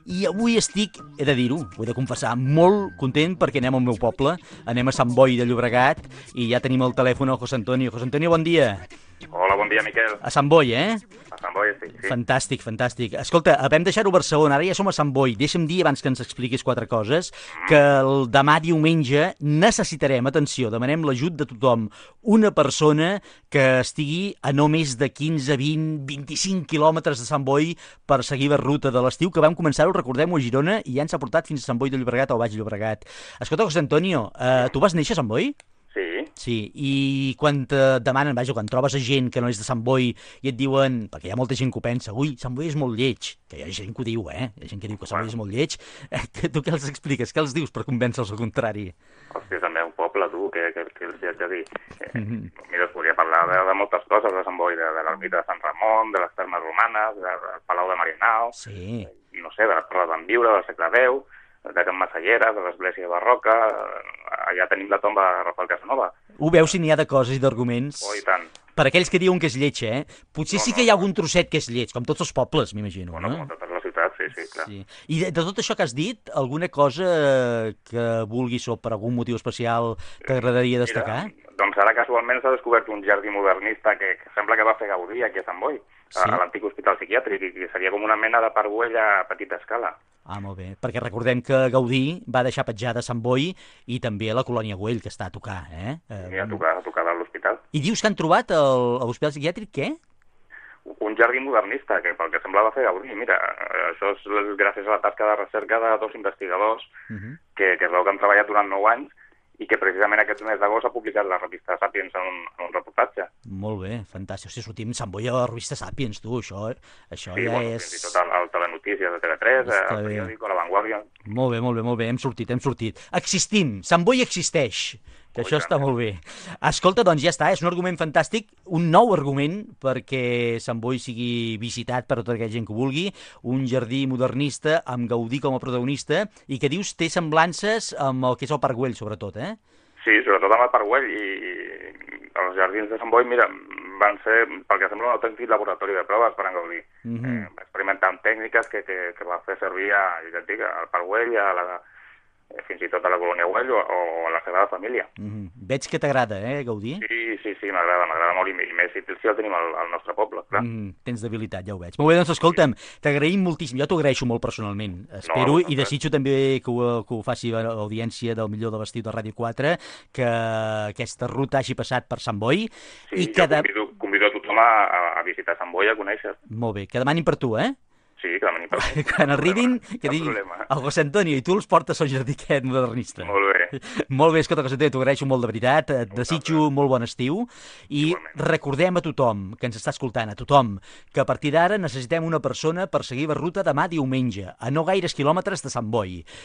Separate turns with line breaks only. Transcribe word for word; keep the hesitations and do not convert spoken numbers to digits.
I avui estic, he de dir-ho, ho he de confessar, molt content perquè anem al meu poble, anem a Sant Boi de Llobregat i ja tenim el telèfon al José Antonio. José Antonio, bon dia.
Hola, bon dia, Miquel.
A Sant Boi, eh?
A Sant Boi estic, sí.
Fantàstic, fantàstic. Escolta, vam deixar-ho a Barcelona, ara ja som a Sant Boi. Deixa'm dir, abans que ens expliquis quatre coses, que el demà diumenge necessitarem, atenció, demanem l'ajut de tothom, una persona que estigui a no més de quinze, vint, vint-i-cinc quilòmetres de Sant Boi per seguir la ruta de l'estiu, que vam començar-ho, recordem-ho, a Girona, i ja ens ha portat fins a Sant Boi de Llobregat o Baix Llobregat. Escolta, José Antonio, eh, tu vas néixer a Sant Boi?
Sí.
Sí, i quan te demanen, vaja, quan trobes a gent que no és de Sant Boi i et diuen, perquè hi ha molta gent que ho pensa, ui, Sant Boi és molt lleig, que hi ha gent que ho diu, eh? Hi ha gent que diu que Sant Boi és molt lleig. Eh, tu què els expliques? Què els dius per convèncer-los al contrari?
Hòstia, és el meu poble, tu, que, que, que els hi haig de dir. Eh, mira, es podria parlar de, de moltes coses de Sant Boi, de, de l'ermita de Sant Ramon, de les termes romanes, de, del Palau de Marinal,
Sí.
i no sé, de les torres d'en Viure, del segle deu, de Can Massalleres, de l'església barroca, allà tenim la tomba de Rafael Casanova.
Ho veus si n'hi ha de coses i d'arguments?
Oh, i tant.
Per aquells que diuen que és lleig, eh? Potser
No,
sí
no,
que hi ha
no.
algun trosset que és lleig, com tots els pobles, m'imagino,
Bueno,
no?
com totes les ciutats, sí, sí, clar.
Sí. I de, de tot això que has dit, alguna cosa que vulguis o per algun motiu especial t'agradaria destacar?
Mira, doncs ara casualment s'ha descobert un jardí modernista que, que sembla que va fer Gaudí aquí a Sant Boi,
Sí.
a, a l'antic hospital psiquiàtric, i que seria com una mena de parguell a petita escala.
Ah, molt bé, perquè recordem que Gaudí va deixar petjada a Sant Boi i també a la colònia Güell, que està a tocar, eh?
I a tocar, a tocar de l'hospital.
I dius que han trobat el, a l'hospital psiquiàtric, què?
Un jardí modernista, que pel que sembla va fer Gaudí. Mira, això és gràcies a la tasca de recerca de dos investigadors
Uh -huh.
que, que es veu que han treballat durant nou anys i que precisament aquest mes d'agost ha publicat la revista Sapiens en un, en un reportatge.
Molt bé, fantàstic. Hosti, sortim Sant Boi a la revista Sapiens, tu, això, això
Sí,
ja
bueno,
és...
fins i tot al, al Telenotícies de T V tres,
Està
al
bé.
periòdico, a La Vanguardia.
Molt bé, molt bé, molt bé, hem sortit, hem sortit. Existim, Sant Boi existeix, que
Oh,
això
i
està
tant.
molt bé. Escolta, doncs ja està, és un argument fantàstic, un nou argument perquè Sant Boi sigui visitat per tota aquella gent que ho vulgui, un jardí modernista amb Gaudí com a protagonista i que dius té semblances amb el que és el Parc Güell, sobretot, eh?
Sí, sobretot amb el Parc Güell, i els jardins de Sant Boi, mira, van ser, pel que sembla, un autèntic laboratori de proves per en Gaudí.
Mhm.
eh, va experimentar amb tècniques que, que, que va fer servir a, ja et dic, al Parc Güell, a la, eh, fins i tot a la colònia Güell o, o a la Sagrada Família.
Mhm. Veig que t'agrada, eh, Gaudí?
Sí, sí, sí, m'agrada, m'agrada molt, i, i més si, si el tenim al, al nostre poble, clar.
Mm, tens debilitat, ja ho veig. Molt bé, doncs escolta'm, t'agraïm moltíssim, jo t'ho agraeixo molt personalment. Espero
No, no,
i
no,
desitjo també que ho, que ho faci l'audiència del Millor de l'Estiu de Ràdio quatre, que aquesta ruta hagi passat per Sant Boi
Sí,
i
jo
que... De...
convido, convido a tothom a, a- a visitar Sant Boi, a conèixer.
Molt bé, que demanin per tu, eh?
Sí, que demanin per mi.
Quan arribin, que
Cap
diguin
problema.
el José Antonio i tu els portes al jardí aquest modernista.
Molt bé.
Molt bé, escolta, José Antonio, t'ho agraeixo molt de veritat, et desitjo molt bon estiu i
Igualment.
recordem a tothom que ens està escoltant, a tothom, que a partir d'ara necessitem una persona per seguir la ruta demà diumenge, a no gaires quilòmetres de Sant Boi.